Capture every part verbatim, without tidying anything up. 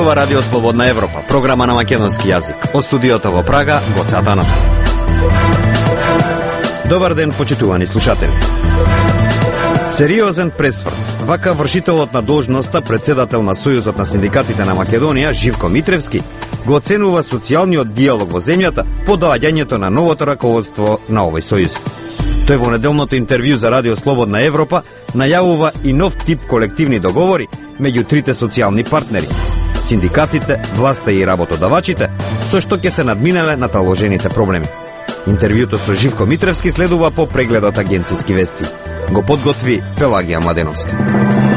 зборува Радио Слободна Европа, програма на македонски јазик. Од студиото во Прага, Гоце Атанасов. Добар ден, почитувани слушатели. Сериозен пресврт. Вака вршителот на должноста, председател на Сојузот на синдикатите на Македонија, Живко Митревски, го оценува социјалниот диалог во земјата по доаѓањето на новото раководство на овој сојуз. Тој во неделното интервју за Радио Слободна Европа најавува и нов тип колективни договори меѓу трите социјални партнери – синдикатите, власта и работодавачите, со што ќе се надминале наталожените проблеми. Интервјуто со Живко Митревски следува по прегледот Агенцијски вести. Го подготви Пелагија Младеновска.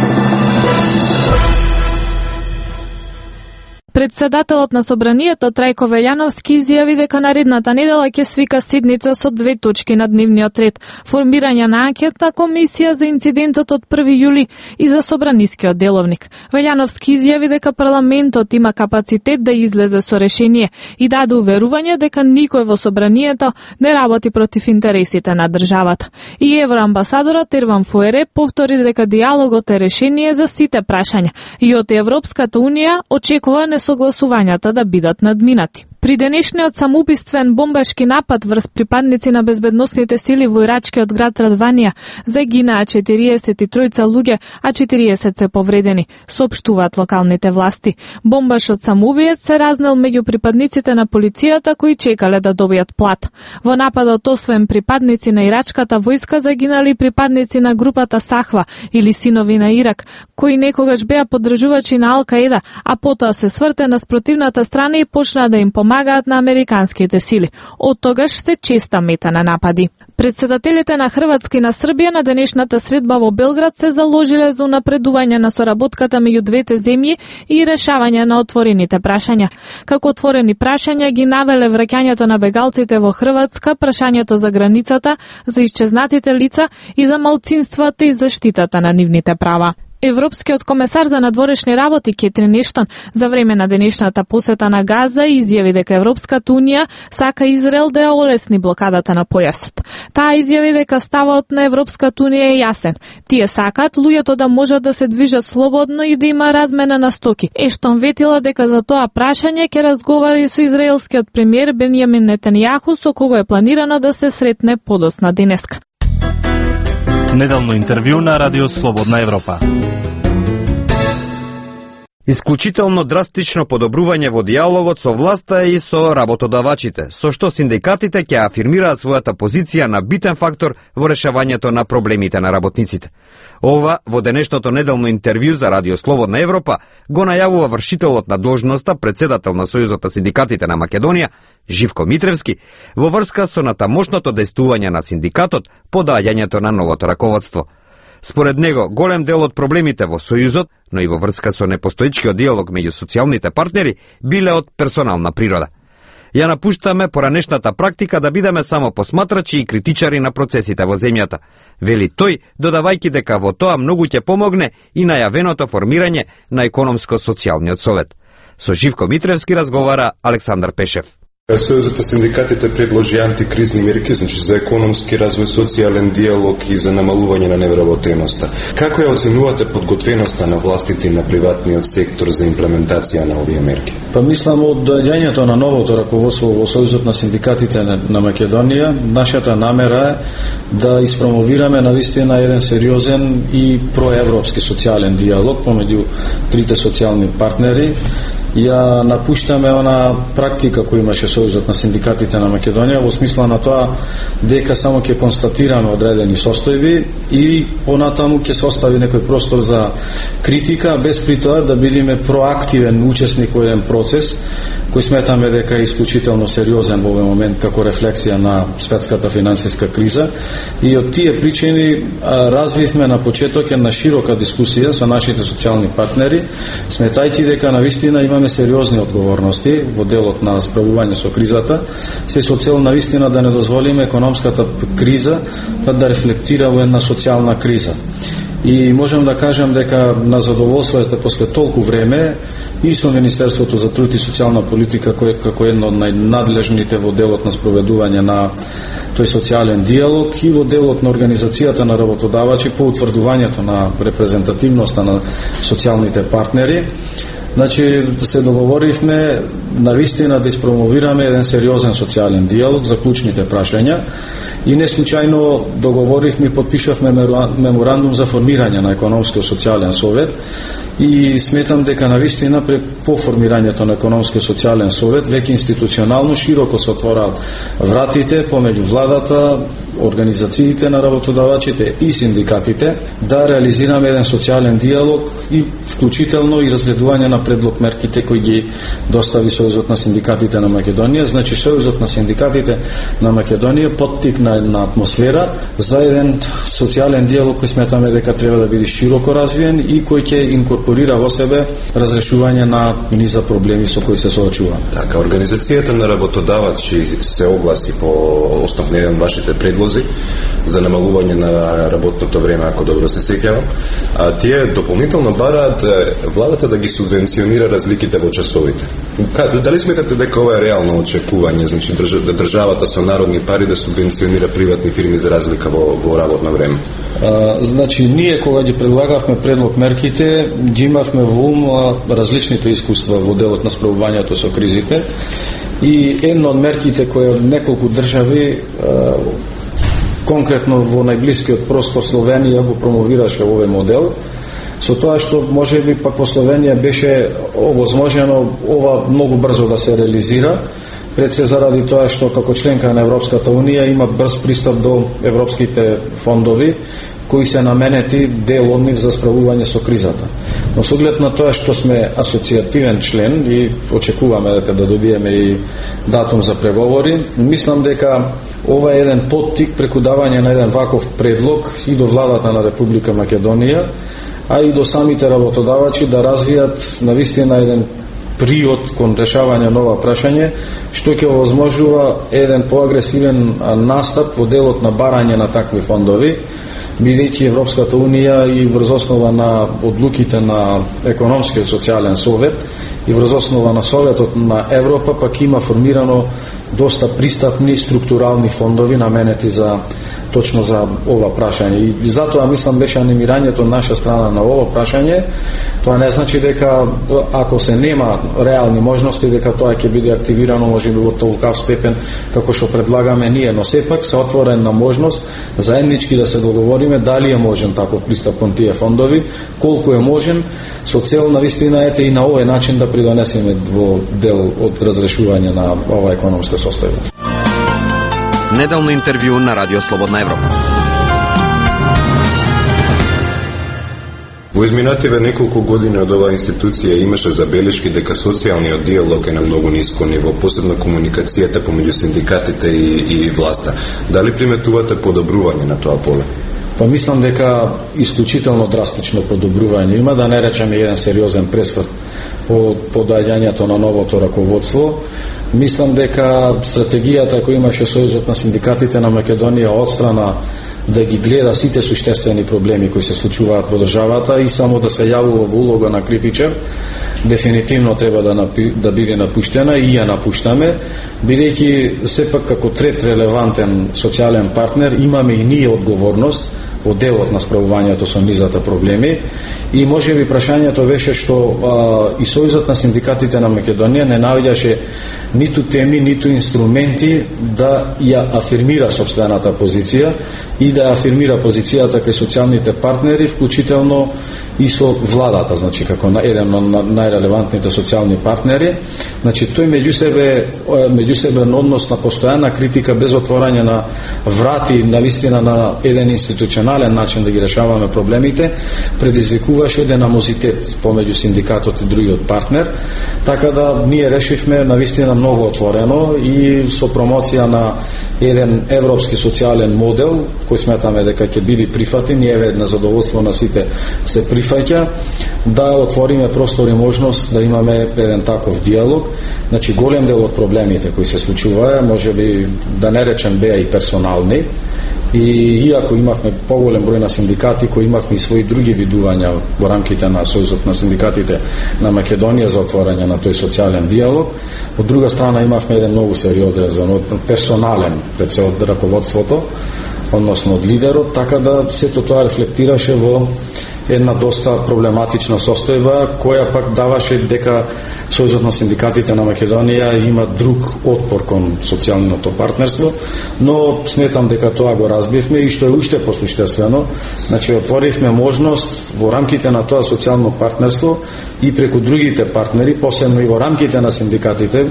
Председателот на Собранието Трајко Велјановски изјави дека наредната недела ќе свика седница со две точки на дневниот ред: формирање на анкетна комисија за инцидентот од први јули и за собранискиот деловник. Велјановски изјави дека парламентот има капацитет да излезе со решение и даде уверување дека никој во Собранието не работи против интересите на државата. И евроамбасадорот Ерван Фуере повтори дека диалогот е решение за сите прашања и од Европската унија очекува согласувањата да бидат надминати. При денешниот самоубиствен бомбашки напад врз припадници на безбедносните сили во ирачкиот град Радванија загинаа четириесет и тројца луѓе, а четириесет се повредени, соопштуваат локалните власти. Бомбашот самоубиец се разнел меѓу припадниците на полицијата кои чекале да добијат плат. Во нападот освен припадници на ирачката војска загинали припадници на групата Сахва или Синови на Ирак, кои некогаш беа поддржувачи на Ал-Каеда, а потоа се сврте на спротивната страна и почнаа да им помагаат на американските сили. Од тогаш се честа мета на напади. Председателите на Хрватска и на Србија на денешната средба во Белград се заложиле за унапредување на соработката меѓу двете земји и решавање на отворените прашања. Како отворени прашања ги навеле враќањето на бегалците во Хрватска, прашањето за границата, за исчезнатите лица и за малцинствата и заштитата на нивните права. Европскиот комесар за надворешни работи Кетрин Ештон за време на денешната посета на Газа изјави дека Европската унија сака Израел да ја олесни блокадата на појасот. Таа изјави дека ставот на Европската унија е јасен. Тие сакаат луѓето да можат да се движат слободно и да има размена на стоки. Ештон ветила дека за тоа прашање ќе разговара и со израелскиот премиер Бенјамин Нетањаху, со кого е планирано да се сретне подосна денеска. Неделно интервју на Радио Слободна Европа. Исклучително драстично подобрување во диалогот со власта и со работодавачите, со што синдикатите ќе афирмираат својата позиција на битен фактор во решавањето на проблемите на работниците. Ова во денешното неделно интервју за Радио Слободна Европа го најавува вршителот на должноста, председател на Сојузот на синдикатите на Македонија, Живко Митревски, во врска со натамошното дејствување на синдикатот по доаѓањето на новото раководство. Според него, голем дел од проблемите во Сојузот, но и во врска со непостоечкиот диалог меѓу социјалните партнери, биле од персонална природа. Ја напуштаме поранешната практика да бидеме само посматрачи и критичари на процесите во земјата, вели тој, додавајќи дека во тоа многу ќе помогне и најавеното формирање на економско-социјалниот совет. Со Живко Митревски разговара Александар Пешев. Сојузот на синдикатите предложи антикризни мерки, значи за економски развој, социјален диалог и за намалување на невработеноста. Како ја оценувате подготвеноста на властите и на приватниот сектор за имплементација на овие мерки? Па мислам, од доаѓањето на новото раководство во Сојузот на синдикатите на Македонија, нашата намера е да испромовираме навистина еден сериозен и проевропски социјален диалог помеѓу трите социјални партнери. Ја напуштаме она практика која имаше Сојузот на синдикатите на Македонија во смисла на тоа дека само ќе констатираме одредени состојби и понатаму ќе се остави некој простор за критика, без при тоа да бидеме проактивен учесник во еден процес кој сметаме дека е исклучително сериозен во овој момент како рефлексија на светската финансиска криза. И од тие причини развивме на почеток една широка дискусија со нашите социјални партнери, сметајќи дека навистина имаме сериозни одговорности во делот на справување со кризата, се со цел навистина да не дозволиме економската криза да рефлектира во една социјална криза. И можам да кажам дека на задоволството после толку време и со Министерството за труд и социјална политика, кој како едно од најнадлежните во делот на спроведување на тој социјален диалог и во делот на организацијата на работодавачи по утврдувањето на репрезентативноста на социјалните партнери, Значи, се договоривме навистина да испромовираме еден сериозен социјален диалог за клучните прашања и не случајно договоривме и подпишавме меморандум за формирање на економско социјален совет и сметам дека навистина по формирањето на економско социјален совет веќе институционално широко се отвораат вратите помеѓу владата, организациите на работодавачите и синдикатите да реализираме еден социјален диалог и вклучително и разгледување на предлог мерките кои ги достави Сојузот на синдикатите на Македонија. Значи Сојузот на синдикатите на Македонија поттикна една атмосфера за еден социјален диалог кој сметаме дека треба да биде широко развиен и кој ќе инкорпорира во себе разрешување на низа проблеми со кои се соочуваме. Така, организацијата на работодавачи се огласи по основно еден вашите предлози за намалување на работното време, ако добро се сеќавам. А тие дополнително бараат владата да ги субвенционира разликите во часовите. Дали сметате дека ова е реално очекување, значи да државата со народни пари да субвенционира приватни фирми за разлика во, во работно време? А, значи, ние кога ги предлагавме предлог мерките, ги имавме во ум различните искуства во делот на справувањето со кризите и една од мерките која неколку држави конкретно во најблискиот простор Словенија го промовираше овој модел, со тоа што можеби пак во Словенија беше овозможено ова многу брзо да се реализира, пред се заради тоа што како членка на Европската Унија има брз пристап до европските фондови кои се наменети дел од нив за справување со кризата. Но со оглед на тоа што сме асоцијативен член и очекуваме дека да добиеме и датум за преговори, мислам дека ова е еден поттик преку давање на еден ваков предлог и до владата на Република Македонија, а и до самите работодавачи да развијат навистина еден приод кон решавање на ова прашање, што ќе овозможува еден поагресивен настап во делот на барање на такви фондови, бидејќи Европската Унија и врз основа на одлуките на економскиот социјален совет и врз основа на Советот на Европа пак има формирано доста пристапни структурални фондови наменети за точно за ова прашање. И затоа мислам беше анимирањето од наша страна на ова прашање. Тоа не значи дека ако се нема реални можности дека тоа ќе биде активирано можеби во толкав степен како што предлагаме ние, но сепак се отворен на можност заеднички да се договориме дали е можен таков пристап кон тие фондови, колку е можен, со цел навистина ете и на овој начин да придонесеме во дел од разрешување на ова економска состојба. Неделно интервју на Радио Слободна Европа. Во изминативе неколку години од оваа институција имаше забелешки дека социјалниот диалог е на многу ниско ниво, посебно комуникацијата помеѓу синдикатите и, и власта. Дали приметувате подобрување на тоа поле? Па мислам дека исклучително драстично подобрување има, да не речеме еден сериозен пресврт по подаѓањето на новото раководство. Мислам дека стратегијата која имаше Сојузот на синдикатите на Македонија отстрана да ги гледа сите суштествени проблеми кои се случуваат во државата и само да се јавува во улога на критичар, дефинитивно треба да, напи, да биде напуштена и ја напуштаме, бидејќи сепак како трет релевантен социјален партнер имаме и ние одговорност во делот на справувањето со низата проблеми и може би прашањето беше што а, и Сојузот на синдикатите на Македонија не наоѓаше ниту теми, ниту инструменти да ја афирмира сопствената позиција и да афирмира позицијата кај социјалните партнери, вклучително и со владата, значи како на еден од најрелевантните социјални партнери. Значи тој меѓу себе меѓусебен однос на постојана критика без отворање на врати навистина на еден институционален начин да ги решаваме проблемите предизвикуваше еден амозитет помеѓу синдикатот и другиот партнер, така да ние решивме навистина многу отворено и со промоција на еден европски социјален модел кој сметаме дека ќе биде прифатен и еве на задоволство на сите се прифаќа, да отвориме простор и можност да имаме еден таков диалог. Значи голем дел од проблемите кои се случуваа, можеби да не речем беа и персонални, и иако имавме поголем број на синдикати кои имавме и своји други видувања во рамките на Сојузот на синдикатите на Македонија за отворање на тој социјален диалог, од друга страна имавме еден многу сериозен персонален пред се од раководството, односно од лидерот, така да сето тоа рефлектираше во една доста проблематична состојба, која пак даваше дека Сојузот на синдикатите на Македонија има друг отпор кон социјалното партнерство, но сметам дека тоа го разбивме и што е уште посуштествено, значи отворивме можност во рамките на тоа социјално партнерство и преку другите партнери, посебно и во рамките на синдикатите,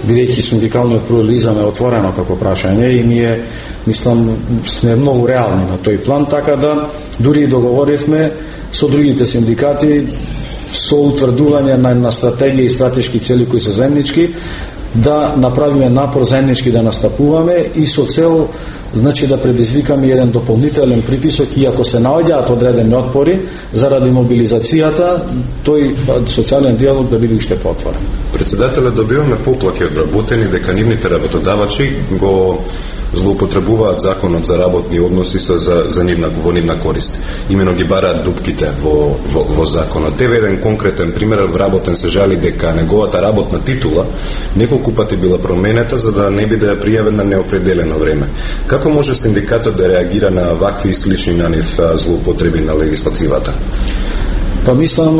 бидејќи синдикалниот плурализам е отворено како прашање и ние, мислам, сме многу реални на тој план, така да дури и договоривме со другите синдикати со утврдување на, на стратегија и стратешки цели кои се заеднички, да направиме напор заеднички да настапуваме и со цел, значи, да предизвикаме еден дополнителен притисок, и ако се наоѓаат одредени отпори заради мобилизацијата, тој социјален диалог да биде уште поотворен. Председателе, добиваме поплаки од вработени дека нивните работодавачи го злоупотребуваат законот за работни односи со за, за нивна, во нивна корист. Имено ги бараат дупките во, во, во законот. Еве еден конкретен пример, вработен се жали дека неговата работна титула неколку пати била променета за да не биде пријавен на неопределено време. Како може синдикатот да реагира на вакви и слични на нив злоупотреби на легислативата? Па мислам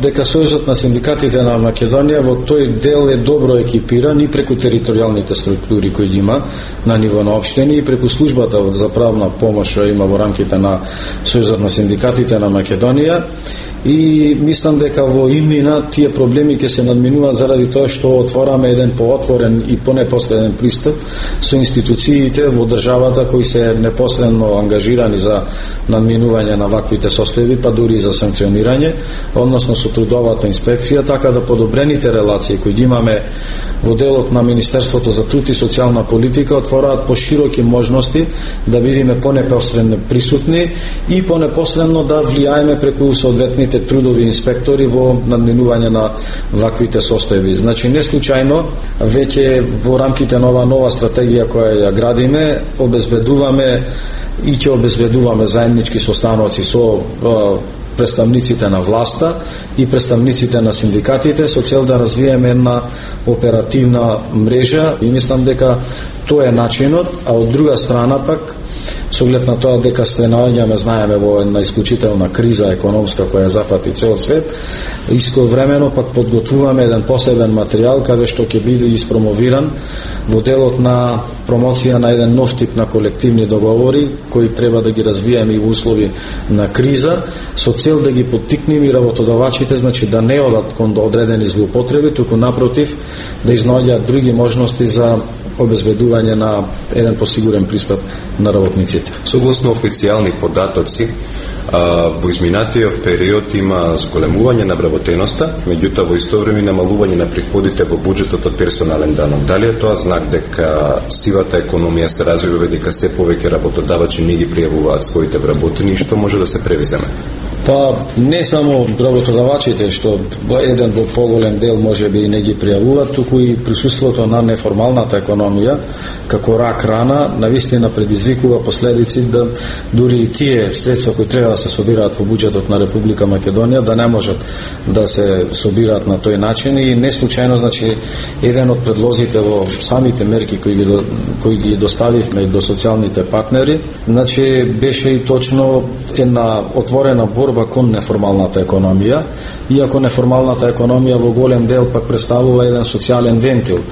дека Сојузот на синдикатите на Македонија во тој дел е добро екипиран и преку територијалните структури кои ги има на ниво на општини и преку службата за правна помош има во рамките на Сојузот на синдикатите на Македонија. И мислам дека во иднина тие проблеми ќе се надминуваат заради тоа што отвораме еден поотворен и понепосреден пристап со институциите во државата кои се непосредно ангажирани за надминување на ваквите состојби, па дури и за санкционирање, односно со трудовата инспекција, така да подобрените релации кои ги имаме во делот на Министерството за труд и социјална политика отвораат пошироки можности да бидеме понепосредно присутни и понепосредно да влијаеме преку соодветните трудови инспектори во надминување на ваквите состојби. Значи, не случајно, веќе во рамките на ова нова стратегија која ја градиме, обезбедуваме и ќе обезбедуваме заеднички состаноци со представниците на власта и представниците на синдикатите со цел да развиеме една оперативна мрежа и мислам дека тоа е начинот, а од друга страна пак со оглед на тоа дека се наоѓаме, знаеме, во една исклучителна криза економска која зафати цел свет, исковремено пак подготвуваме еден посебен материјал каде што ќе биде испромовиран во делот на промоција на еден нов тип на колективни договори кои треба да ги развиеме и во услови на криза со цел да ги поттикнеме и работодавачите, значи да не одат кон одредени злоупотреби, туку напротив да изнаоѓаат други можности за обезбедување на еден посигурен пристап на работниците. Согласно официјални податоци, во изминатиот период има зголемување на вработеноста, меѓутоа во исто време намалување на приходите во буџетот од персонален данок. Дали е тоа знак дека сивата економија се развива, дека се повеќе работодавачи не ги пријавуваат своите вработени и што може да се превземе? Па не само работодавачите, што еден во поголем дел може би не ги пријавуваат, туку и присуството на неформалната економија како рак рана навистина предизвикува последици да дури и тие средства кои треба да се собираат во буџетот на Република Македонија да не можат да се собираат на тој начин и не случајно, значи, еден од предлозите во самите мерки кои ги кои ги доставивме до социјалните партнери, значи беше и точно една отворена борба кон неформалната економија, иако неформалната економија во голем дел пак представува еден социјален вентил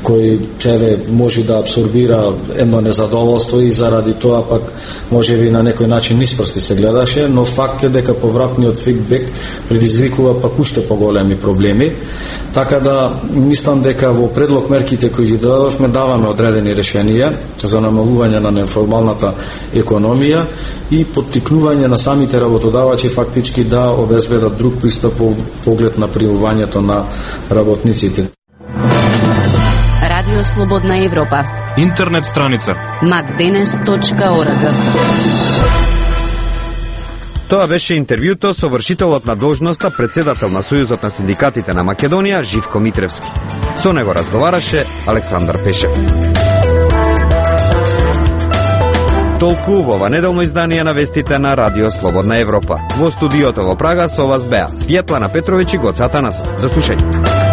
кој тебе може да абсорбира едно незадоволство и заради тоа пак може би на некој начин ниспрсти се гледаше, но факт е дека повратниот фидбек предизвикува пак уште поголеми проблеми, така да мислам дека во предлог мерките кои ги дадовме даваме одредени решенија за намалување на неформалната економија и поттикнување на самите работодавачи фактички да обезбедат друг пристап по поглед на пријавувањето на работниците. Радио Слободна Европа. Интернет страница макденес точка орг. Тоа беше интервјуто со вршителот на должноста председател на Сојузот на синдикатите на Македонија Живко Митревски. Со него разговараше Александар Пешев. Толку во ова неделно издание на вестите на Радио Слободна Европа. Во студиото во Прага со вас беа Светлана Петровиќ и Гоце Атанасов. До слушање.